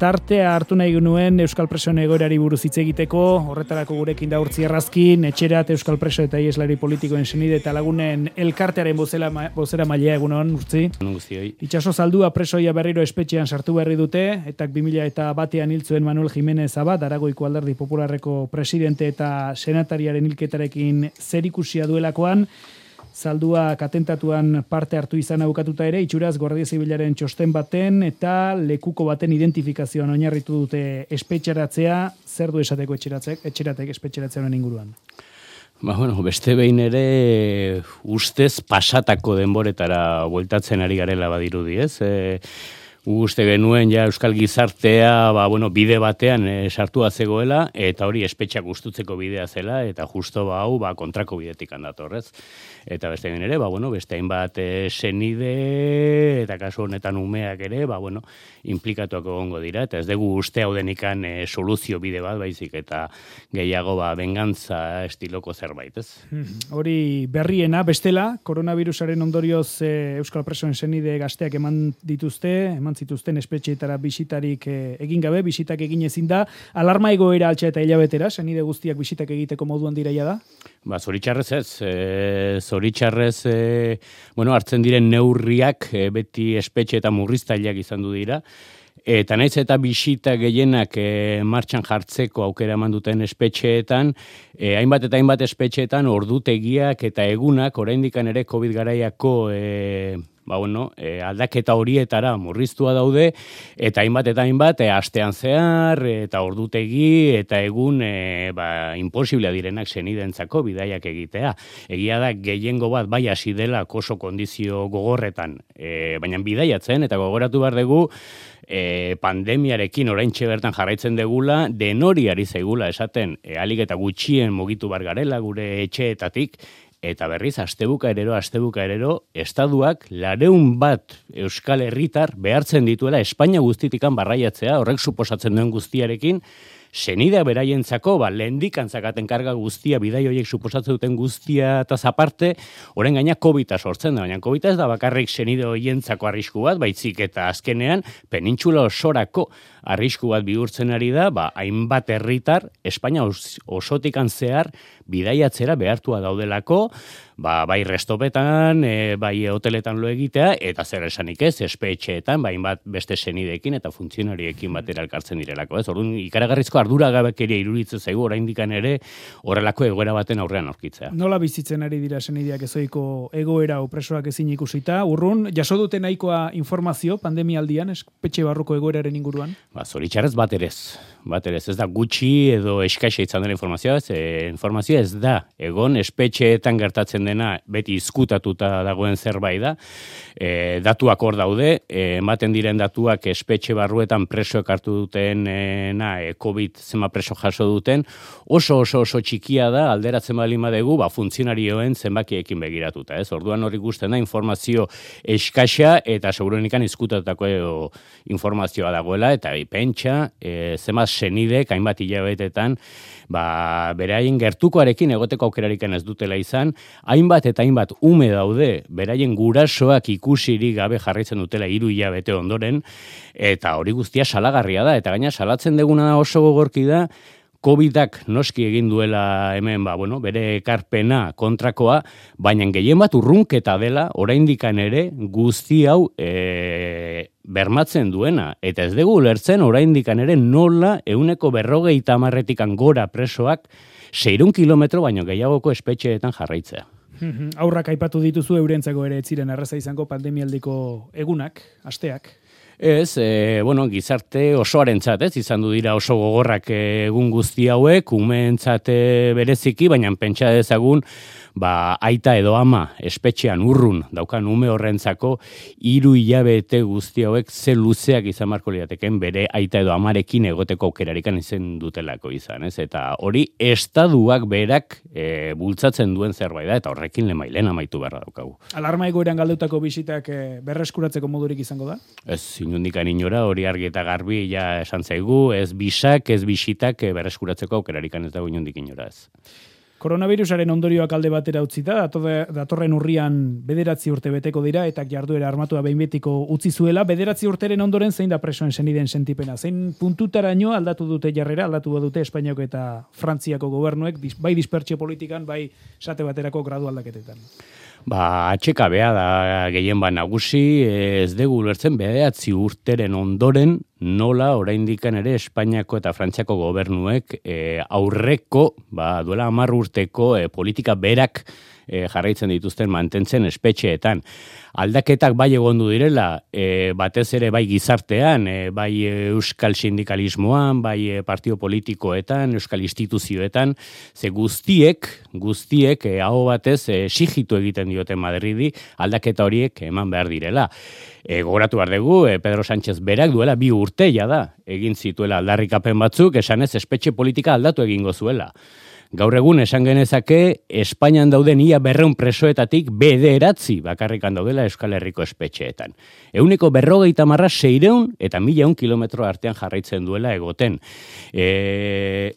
Tartea hartu nahi genuen Euskal Presoen egoerari buruz hitz egiteko, horretarako gurekin da Urtzi Errazkin, Etxerat Euskal Preso eta Ieslari politikoen senide eta lagunen elkartearen bozera mailea egunon, Urtzi. Itxaso Zaldua presoia berriro espetxean sartu berri dute, eta 2001 hil zuen Manuel Jimenez Abad, Aragoiko Alderdi Popularreko presidente eta senatariaren hilketarekin zerikusia duelakoan, Zalduak atentatuan parte hartu izan bukatuta ere, itxuraz Guardia Zibilaren txosten baten eta lekuko baten identifikazioan oinarritu dute espetxeratzea, zer du esateko etxeratek espetxeratzearen inguruan? Beste behin ere ustez pasatako denboretara bueltatzen ari garela badirudi, ez? Uste genuen ja euskal gizartea bide batean sartua zegoela eta hori espetxak gustutzeko bidea zela eta justo hau kontrako bidetik handatorrez. Eta beste egin ere, beste hainbat senide eta kasu honetan umeak ere, implikatuak egongo dira eta ez dugu uste hau denikan soluzio bide bat baizik eta gehiago benganza estiloko zerbait, ez? Hori berriena, bestela, koronavirusaren ondorioz Euskal Presoen senide gazteak eman zituzten espetxeetara bisitarik egin gabe, bisitak egin ezin da, alarma egoera altxa eta hilabetera, senide guztiak bisitak egiteko moduan diraia da? Zoritxarrez ez, zoritxarrez, hartzen diren neurriak beti espetxe eta murriztaileak izan du dira, eta naiz eta bisita gehienak martxan jartzeko aukera eman duten espetxeetan, hainbat eta hainbat espetxeetan ordutegiak eta egunak oraindikan ere COVID garaiako aldaketa horietara murriztua daude, eta hainbat astean zehar, eta ordutegi, eta egun imposiblea direnak senidentzako bidaiak egitea. Egia da, gehiengo bat bai hasi dela oso kondizio gogorretan, baina bidaiatzen, eta gogoratu behar dugu, pandemiarekin oraintxe bertan jarraitzen degula, denori ari zaigula esaten, alik eta gutxien mugitu bar garela gure etxeetatik, eta berriz, astebuka erero, estaduak 200 euskal herritar behartzen dituela Espainia guztitikan barraiatzea, horrek suposatzen duen guztiarekin, senidea beraientzako, lehendik antzakaten karga guztia, bidai horiek suposatzen duten guztia eta zaparte, orain gaina COVID-a sortzen da, baina COVID-a ez da bakarrik senide horientzako arrisku bat, baitzik eta azkenean penintxula osorako arrisku bat bihurtzen ari da, hainbat herritar, Espainia osotikan zehar, bidaiatzera behartua daudelako, bai restopetan, bai hoteletan lo egitea, eta zer esanik ez, espetxeetan, hainbat beste senideekin eta funtzionariekin batera elkartzen direlako, ez? Orduan, ikaragarrizko arduragabekeria iruditzen zaigu oraindikan ere horrelako egoera baten aurrean aurkitzea. Nola bizitzen ari dira senideak ezoiko egoera presoak ezin ikusita? Urrun, jaso dute nahikoa informazio pandemialdian, espetxe barruko egoeraren inguruan? Zoritxarrez bat ere ez da gutxi edo eskaisa izan dela informazioa, informazioa ez da, egon espetxeetan gertatzen dena beti izkutatuta dagoen zerbait da, datuak hor daude, ematen diren datuak espetxe barruetan presoek hartu duten, COVID zema preso jaso duten, oso txikia da, alderatzen baldin badegu, funtzionarioen zenbakiekin begiratuta, ez? Orduan hori ikusten da informazio eskaisa eta segurenikan izkutatutako informazioa dagoela, eta pentsa, zema senidek, hainbat hilabetetan, beraien gertukoarekin egoteko aukerariken ez dutela izan, hainbat eta hainbat ume daude, beraien gurasoak ikusirik gabe jarraitzen dutela 3 hilabete ondoren, eta hori guztia salagarria da, eta gaina salatzen deguna oso gogorki da, COVID-ak noski egin duela hemen, bere ekarpena kontrakoa, baina gehien bat urrunketa dela, oraindikan ere, guzti hau bermatzen duena. Eta ez dugu ulertzen, oraindikan ere nola 150 gora presoak 600 kilometro baino gehiagoko espetxeetan jarraitzea. Aurrak aipatu dituzu eurentzako ere ez ziren erraza izango pandemialdiko egunak, asteak. Ez, gizarte osoarentzat, ez, izan du dira oso gogorrak egun guzti hauek, umeentzat bereziki, baina pentsa dezagun, aita edo ama espetxean urrun daukan ume horrentzako 3 hilabete guzti hauek ze luzeak izan marko lirateken bere aita edo amarekin egoteko aukerarikan izen dutelako izan, ez? Eta hori estaduak berak bultzatzen duen zerbait da, eta horrekin lemailen amaitu beharra daukagu. Alarma egoeran galdeutako bisitak berreskuratzeko modurik izango da? Ez, inundikan inora, hori argi eta garbi ja esan zaigu, ez bisak, ez bisitak berreskuratzeko aukerarikan ez dago inundik inora ez. Koronavirusaren ondorioak alde batera utzita, datorren urrian 9 urte beteko dira, eta jarduera armatua behin betiko utzi zuela. 9 urteren ondoren zein da presoen senideen sentipena? Zein puntutaraino aldatu dute jarrera, aldatu dute Espainiako eta Frantziako gobernuek, bai dispertsio politikan, bai esate baterako gradu aldaketetan? Atxekabea da gehien nagusi, ez dugu ulertzen 9 urteren ondoren nola oraindikan ere Espainiako eta Frantziako gobernuek aurreko, duela 10 urteko politika berak jarraitzen dituzten mantentzen espetxeetan. Aldaketak bai egondu direla, batez ere bai gizartean, bai euskal sindikalismoan, bai partio politikoetan, euskal instituzioetan, ze guztiek hau batez sigitu egiten diote Madridi aldaketa horiek eman behar direla. Gogoratu behar dugu, Pedro Sánchez berak duela 2 urte da, egin zituela aldarrikapen batzuk, esanez espetxe politika aldatu egingo zuela. Gaur egun esan genezake, Espainian dauden ia 200 presoetatik 9 bakarrikan daudela Euskal Herriko espetxeetan. 150 600 eta 1100 kilometro artean jarraitzen duela egoten.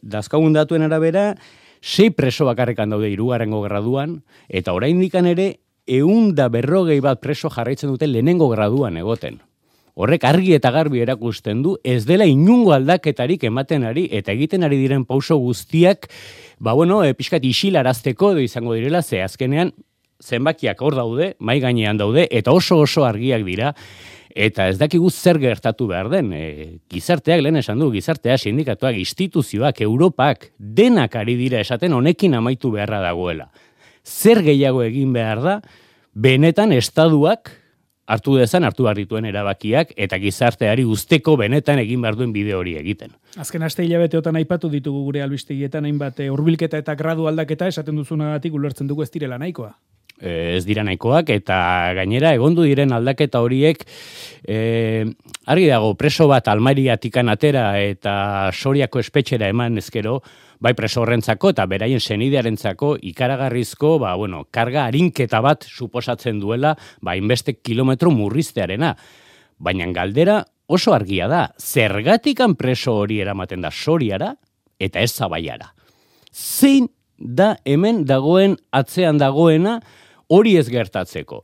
Dazkagun datuen arabera, 6 preso bakarrikan daude 3. graduan, eta oraindikan ere 141 preso jarraitzen dute 1. graduan egoten. Horrek argi eta garbi erakusten du, ez dela inungo aldaketarik ematen ari, eta egiten ari diren pauso guztiak, pixkat isilarazteko edo izango direla, ze azkenean zenbakiak hor daude, mai gainean daude, eta oso argiak dira, eta ez dakigu zer gertatu behar den. Gizarteak, lehen esan du, gizarteak, sindikatuak, instituzioak, Europak, denak ari dira esaten honekin amaitu beharra dagoela. Zer gehiago egin behar da, benetan estaduak, hartu behar dituen erabakiak, eta gizarteari usteko benetan egin behar duen bide hori egiten. Azken aste hilabeteotan aipatu ditugu gure albistegietan hainbat hurbilketa eta gradu aldaketa esaten duzunagatik ulertzen dugu ez direla nahikoa. Ez dira nahikoak, eta gainera egondu diren aldaketa horiek, argi dago, preso bat Almeriatikan atera eta Soriako espetxera eman ezkero, bai preso horrentzako eta beraien senidearentzako ikaragarrizko, karga arinketa bat suposatzen duela, inbeste kilometro murriztearena. Baina galdera oso argia da, zergatikan preso hori eramaten da Soriara eta ez Zabaiara. Zein da hemen dagoen, atzean dagoena, hori ez gertatzeko.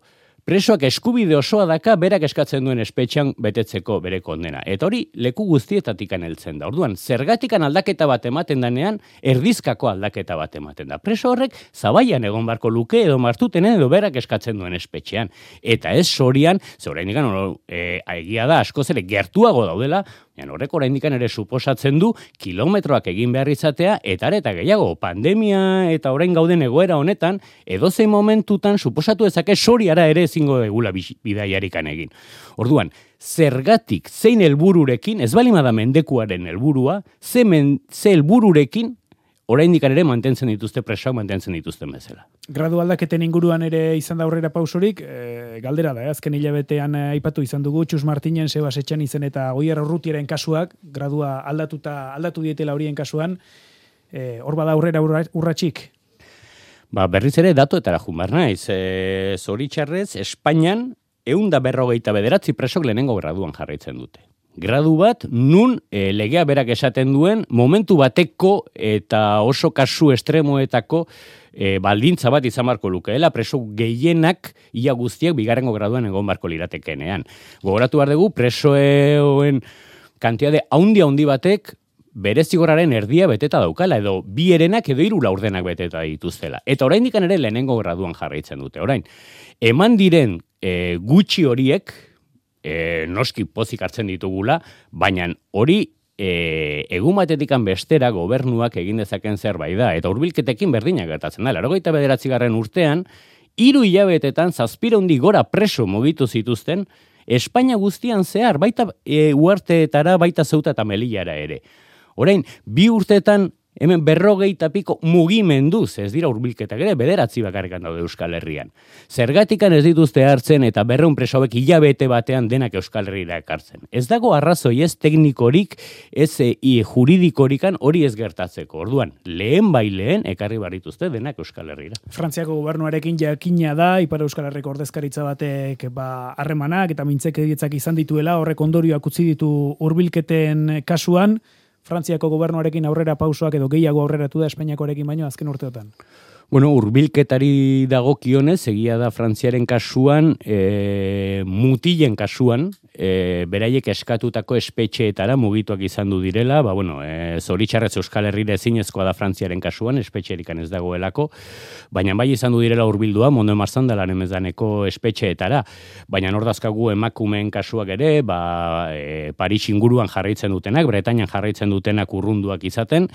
Presoak eskubide osoa daka berak eskatzen duen espetxean betetzeko bere kondena. Eta hori leku guztietatikan heltzen da. Orduan, zergatikan aldaketa bat ematen danean, erdizkako aldaketa bat ematen da. Preso horrek Zabaian egon barko luke edo Martutenen edo berak eskatzen duen espetxean. Eta ez Sorian, ze oraindikan egia da askoz ere gertuago daudela, horrek oraindikan ere suposatzen du kilometroak egin behar izatea, eta gehiago, pandemia eta orain gauden egoera honetan, edozein momentutan suposatu ezake Soriara ere ezingo egula bidaiarikan egin. Orduan, zergatik, zein helbururekin, ez balimada mendekuaren helburua, ze helbururekin oraindikan ere mantentzen dituzte presoak mantentzen dituzten bezala. Gradu aldaketen inguruan ere izan da aurrera pausorik, galdera da, azken hilabetean aipatu izan dugu, Txus Martinen, Sebas Etxanizen eta Goier Urrutiaren kasuak, gradua aldatu dietela horien kasuan, hor bada aurrera urratxik? Berriz ere datuetara jumar naiz. Zoritxarrez, Espainian 149 presok lehenengo graduan jarraitzen dute. Gradu bat, nun legea berak esaten duen, momentu bateko eta oso kasu estremoetako baldintza bat izan barko lukeela, preso gehienak ia guztiak 2. graduan egon barko liratekenean. Gogoratu behar dugu, presoen kantiade handi batek bere zigorraren erdia beteta daukala, edo 2 herenak edo 3 laurdenak beteta dituztela. Eta oraindikan ere lehenengo graduan jarraitzen dute. Orain, eman diren gutxi horiek, noski pozik hartzen ditugula, baina hori egun batetikan bestera gobernuak egin dezaken zerbait da, eta hurbilketekin berdinak gertatzen da. 89. urtean, 3 hilabetetan 700 gora preso mugitu zituzten, Espainia guztian zehar, baita uarteetara, baita Zeuta eta Melillara ere. Orain, 2 urteetan hemen 40 piko mugimenduz, ez dira hurbilketak ere, 9 bakarrikan daude Euskal Herrian. Zergatikan ez dituzte hartzen eta 200 preso hauek hilabete batean denak Euskal Herrira ekartzen. Ez dago arrazoi ez teknikorik, ez juridikorikan hori ez gertatzeko. Orduan, lehen ekarri barituzte denak Euskal Herrira. Frantziako gobernuarekin jakina da, Ipar Euskal Herriko ordezkaritza batek harremanak eta mintzekeditzak izan dituela, horrek ondorioak utzi ditu hurbilketen kasuan. Frantziako gobernuarekin aurrera pausoak edo gehiago aurreratu da Espainiakoarekin baino azken urteotan? Bueno, hurbilketari dagokionez, egia da Frantziaren kasuan, mutilen kasuan, beraiek eskatutako espetxeetara mugituak izan du direla, zoritxarrez Euskal Herrira ezinezkoa da Frantziaren kasuan, espetxerikan ez dagoelako, baina bai izan du direla hurbildua, Mondo Marzandalan emezdaneko espetxeetara, baina nordazkagu emakumeen kasuak ere, Paris inguruan jarraitzen dutenak, Bretainan jarraitzen dutenak urrunduak izaten,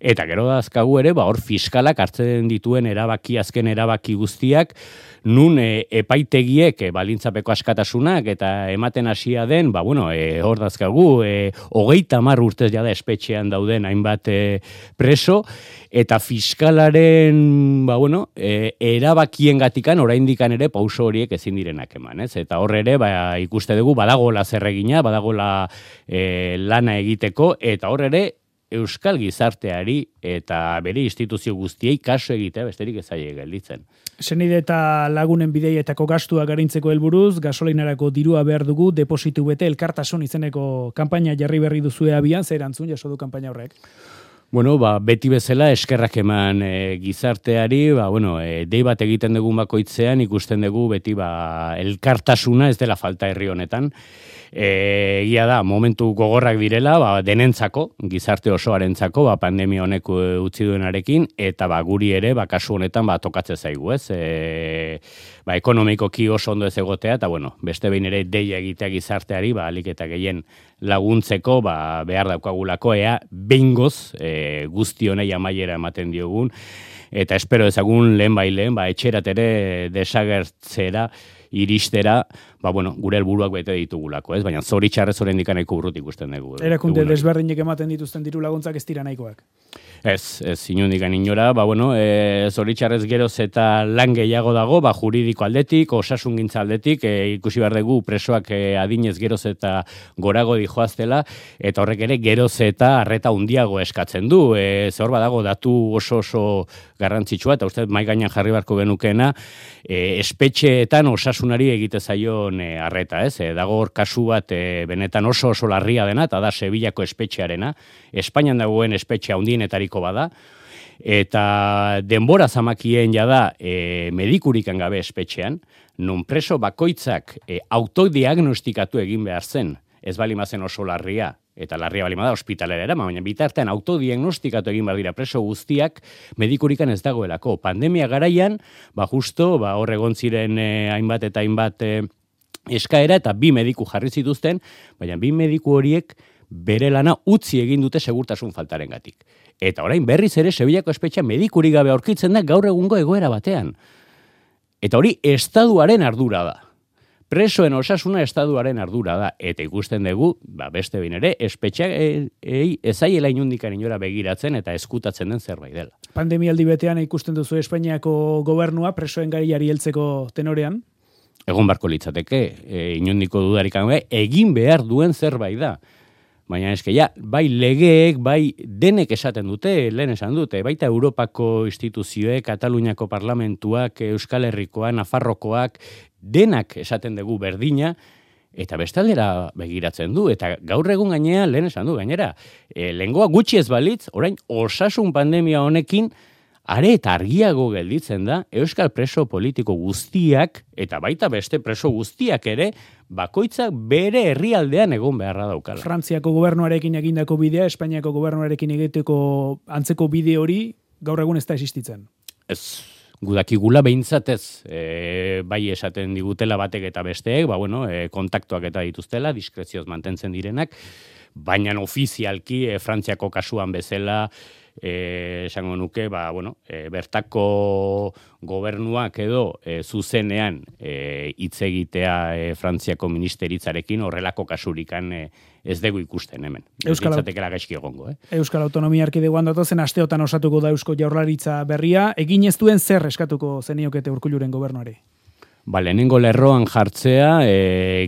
eta gero dazkagu ere, hor fiskalak hartzen dituen azken erabaki guztiak, nun epaitegiek balintzapeko askatasunak eta ematen hasia den, hor dazkagu, 30 urtez jada espetxean dauden hainbat preso, eta fiskalaren, erabakien gatikan, oraindikan ere pauso horiek ezin direnak eman, ez? Eta hor ere, ikuste dugu, badagola zerregina, badagola lana egiteko, eta hor ere, Euskal gizarteari eta bere instituzio guztiei kasu egitea besterik ez zaie gelditzen. Senide eta lagunen bideietako gastuak arintzeko helburuz, gasolinarako dirua behar dugu, depositu bete elkartasun izeneko kanpaina jarri berri duzue abian, zer erantzun jaso du kanpaina horrek? Beti bezala eskerrak eman gizarteari, dei bat egiten dugun bakoitzean, ikusten dugu beti elkartasuna ez dela falta herri honetan. Egia da, momentu gogorrak direla, denentzako, gizarte osoarentzako, pandemia honek utzi duenarekin, eta guri ere, kasu honetan, tokatze zaigu, ez? Ekonomikoki oso ondo ez egotea, eta beste behin ere deia egitea gizarteari, alik eta gehien laguntzeko, behar daukagulako, behingoz, guzti honei amaiera ematen diogun, eta espero ezagun lehen etxerat ere desagertzera, iristera, gure helburuak bete ditugulako, ez? Baina zoritxarrez oraindik nahiko urruti ikusten dugu. Erakunde desberdinek ematen dituzten diru laguntzak ez dira nahikoak. Ez inondik inora, zoritxarrez geroz eta lan gehiago dago, juridiko aldetik, osasungintza aldetik, ikusi behar dugu presoak adinez geroz eta gorago dijoaztela, eta horrek ere geroz eta arreta handiago eskatzen du. Hor badago datu oso garrantzitsua, eta uste mai gainean jarri beharko genukeena, espetxeetan osasunari egite zaion arreta, ez? Dago hor kasu bat benetan oso larria dena, eta da Sevillako espetxearena, Espainian dagoen espetxea handienetariko bada, eta denbora zamakien jada medikurikan gabe espetxean, non preso bakoitzak autodiagnostikatu egin behar zen, ez balimazen oso larria, eta larria balimada ospitalera era, baina bitartean autodiagnostikatu egin behar dira preso guztiak medikurikan ez dagoelako. Pandemia garaian, justo, hor egon ziren hainbat eta hainbat eskaera, eta 2 mediku jarri zituzten, baina 2 mediku horiek bere lana utzi egin dute segurtasun faltarengatik. Eta orain berriz ere Sevillako espetxea medikurik gabe aurkitzen da gaur egungo egoera batean. Eta hori estatuaren ardura da. Presoen osasuna estatuaren ardura da. Eta ikusten dugu, beste behin ere, espetxeak ezaiela inundikan inora begiratzen eta eskutatzen den zerbait dela. Pandemialdi betean ikusten duzu Espainiako gobernua presoen gaiari heltzeko tenorean? Egon barko litzateke, inundiko dudarik egin behar duen zerbait da. Baina eske bai legeek, bai denek esaten dute, lehen esan dute, baita Europako instituzioek, Kataluniako parlamentuak, Euskal Herrikoak, Nafarrokoak, denak esaten dugu berdina, eta bestaldera begiratzen du, eta gaur egun gainera, lehen esan du gainera, lehengoa gutxi ez balitz, orain osasun pandemia honekin, are eta argiago gelditzen da, euskal preso politiko guztiak, eta baita beste preso guztiak ere, bakoitzak bere herrialdean egon beharra daukala. Frantziako gobernuarekin egindako bidea, Espainiako gobernuarekin egiteko antzeko bide hori, gaur egun ez da existitzen. Ez, gudakigula behintzatez, bai esaten digutela batek eta besteek, kontaktuak eta dituztela, diskrezioz mantentzen direnak, baina ofizialki Frantziako kasuan bezala, esango nuke, bertako gobernuak edo zuzenean hitz egitea Frantziako ministeritzarekin horrelako kasurikan ez dugu ikusten hemen. Euskalautekela gaizki egongo. Euskal Autonomia Erkidegoan datozen asteotan osatuko da Eusko Jaurlaritza berria, egin ez duen zer eskatuko zeniokete Urkulluren gobernuari? Lehenengo lerroan jartzea,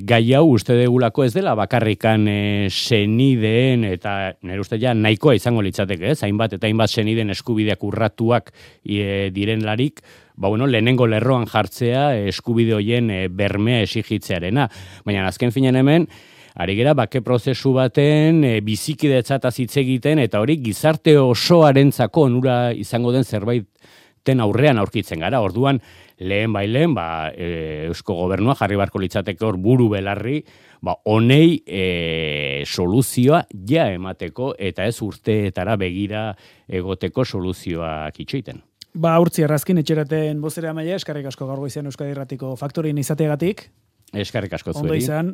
gai hau uste degulako ez dela bakarrikan senideen eta nire uste nahikoa izango litzateke, ez? Hainbat eta hainbat senideen eskubideak urratuak direnlarik, lehenengo lerroan jartzea eskubide hoien bermea esigitzearena. Baina azken finean hemen, ari gera bake prozesu baten bizikidetzataz hitz egiten, eta hori gizarte osoarentzako onura izango den zerbaiten aurrean aurkitzen gara. Orduan, lehen, Eusko Gobernua jarri barko litzateke hor buru belarri, honei soluzioa ja emateko, eta ez urteetara begira egoteko soluzioak itxoiten. Urtzi Errazkin, etxeraten bozera maila, eskarrik asko gaur goizean Euskadi Irratiko faktorien izateagatik. Eskarrik asko zueri. Ondo izan.